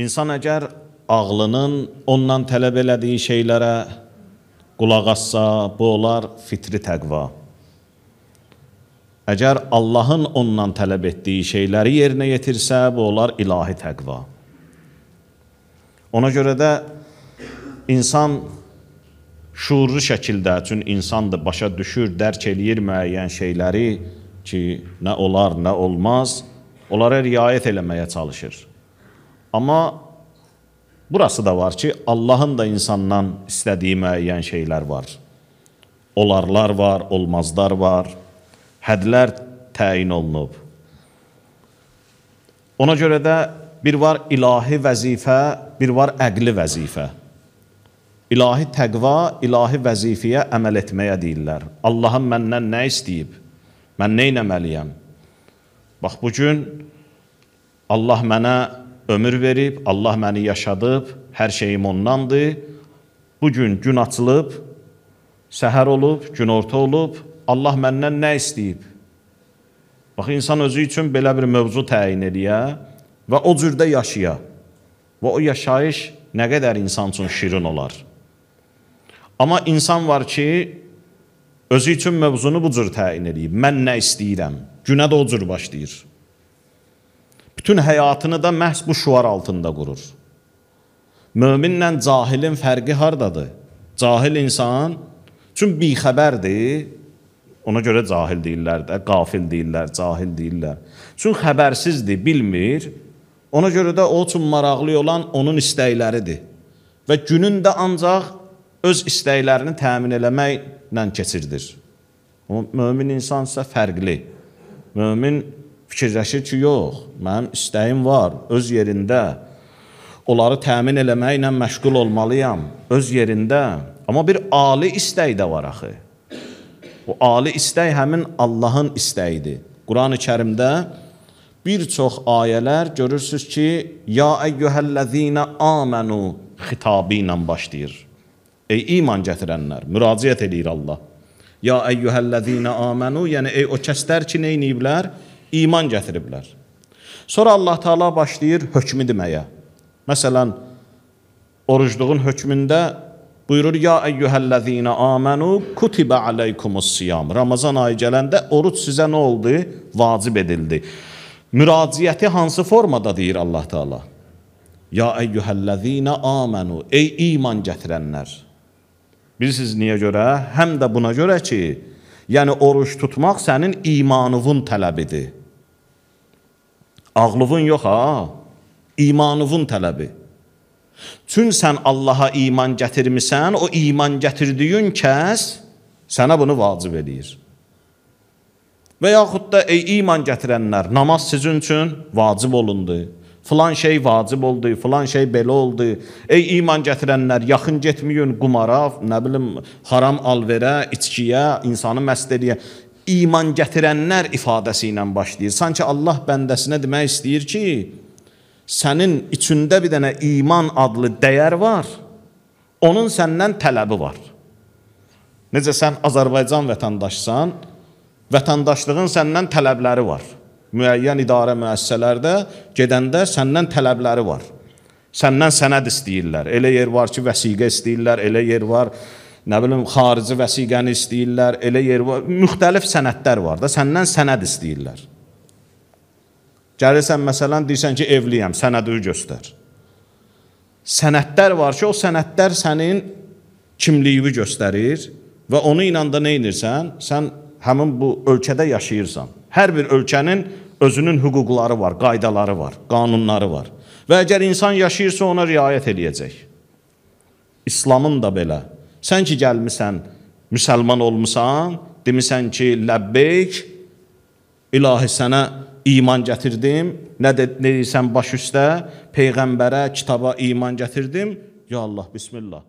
İnsan əgər ağlının ondan tələb elədiyi şeylərə qulaq assa, bu olar fitri təqva. Əgər Allahın ondan tələb etdiyi şeyləri yerinə yetirsə, bu olar ilahi təqva. Ona görə də insan şuurlu şəkildə, çünki insandır, başa düşür, dərk eləyir müəyyən şeyləri ki, nə olar, nə olmaz, onlara riayət eləməyə çalışır. Amma burası da var ki, Allahın da insandan istədiyi müəyyən şeylər var. Olarlar var, olmazlar var, hədlər təyin olunub. Ona görə də bir var ilahi vəzifə, bir var əqli vəzifə. İlahi təqva, ilahi vəzifəyə əməl etməyə deyirlər. Allahın məndən nə istəyib? Mən nə etməliyəm? Bax, bugün Allah mənə ömür verib, Allah məni yaşadıb, hər şeyim ondandır. Bugün gün açılıb, səhər olub, gün orta olub, Allah məndən nə istəyib? Bax, insan özü üçün belə bir mövzu təyin eləyə və o cürdə yaşaya. Və o yaşayış nə qədər insan üçün şirin olar. Amma insan var ki, özü üçün mövzunu bu cür təyin edib. Mən nə istəyirəm? Günə də o cür başlayır. Bütün həyatını da məhz bu şuar altında qurur. Möminlə cahilin fərqi hardadır? Cahil insan, çünki bixəbərdir, ona görə cahil deyirlər də, qafil deyirlər, cahil deyirlər. Çünki xəbərsizdir, bilmir, ona görə də o üçün maraqlı olan onun istəkləridir. Və günün də ancaq öz istəklərini təmin eləməklə keçirdir. Mömin insan isə fərqli. Mömin fikirləşir ki, yox, mənim istəyim var, öz yerində. Onları təmin eləməklə məşğul olmalıyam, öz yerində. Amma bir ali istək də var axı. O ali istək həmin Allahın istəyidir. Quran-ı Kərimdə bir çox ayələr görürsünüz ki, ya əyyuhəl-ləzīnə āmənu xitabı ilə başlayır. Ey iman gətirənlər, müraciət edir Allah. Ya əyyuhəl-ləzīnə āmənu, yəni ey o kəslər ki, neyniyiblər? İman gətiriblər. Sonra Allah Teala başlayır hökmü deməyə. Məsələn, orucluğun hökmündə buyurur, ya əyyuhəl-ləzīnə āmənu kutibə aleykumus-siyam. Ramazan ayı gələndə oruç sizə nə oldu? Vacib edildi. Müraciəti hansı formada deyir Allah Teala? Ya əyyuhəl-ləzīnə āmənu, ey iman gətirənlər. Bilirsiniz niyə görə? Həm də buna görə ki, yəni oruç tutmaq sənin imanıvın tələbidir. Ağlığın yox ha, imanıvın tələbi. Çünki sən Allaha iman gətirmisən, o iman gətirdiyin kəs sənə bunu vacib edir. Və yaxud da ey iman gətirənlər, namaz sizin üçün vacib olundu. Filan şey vacib oldu, filan şey belə oldu. Ey iman gətirənlər, yaxın getməyin qumara, nə bilim, haram alverə, içkiyə, insanı məst eləyə. İman gətirənlər ifadəsi ilə başlayır. Sanki Allah bəndəsinə demək istəyir ki, sənin içində bir dənə iman adlı dəyər var, onun səndən tələbi var. Necə sən Azərbaycan vətəndaşsan, vətəndaşlığın səndən tələbləri var. Müəyyən idarə müəssisələrdə gedəndə səndən tələbləri var. Səndən sənəd istəyirlər. Elə yer var ki, vəsiqə istəyirlər, elə yer var, nə bilim, xarici vəsiqəni istəyirlər, elə yer var, müxtəlif sənədlər var da, səndən sənəd istəyirlər. Gəlirsən, məsələn, deyirsən ki, evliyəm, sənədi göstər. Sənədlər var ki, o sənədlər sənin kimliyini göstərir və onu ilə da nə edirsən? Sən həmin bu ölkədə yaşayırsan. Hər bir ölkənin özünün hüquqları var, qaydaları var, qanunları var. Və əgər insan yaşayırsa, ona riayət eləyəcək. İslamın da belə. Sən ki, gəlmisən, müsəlman olmusan, demisən ki, ləbbeyk, ilahi sənə iman gətirdim, nə deyirsən baş üstə, Peyğəmbərə, kitaba iman gətirdim, ya Allah, bismillah.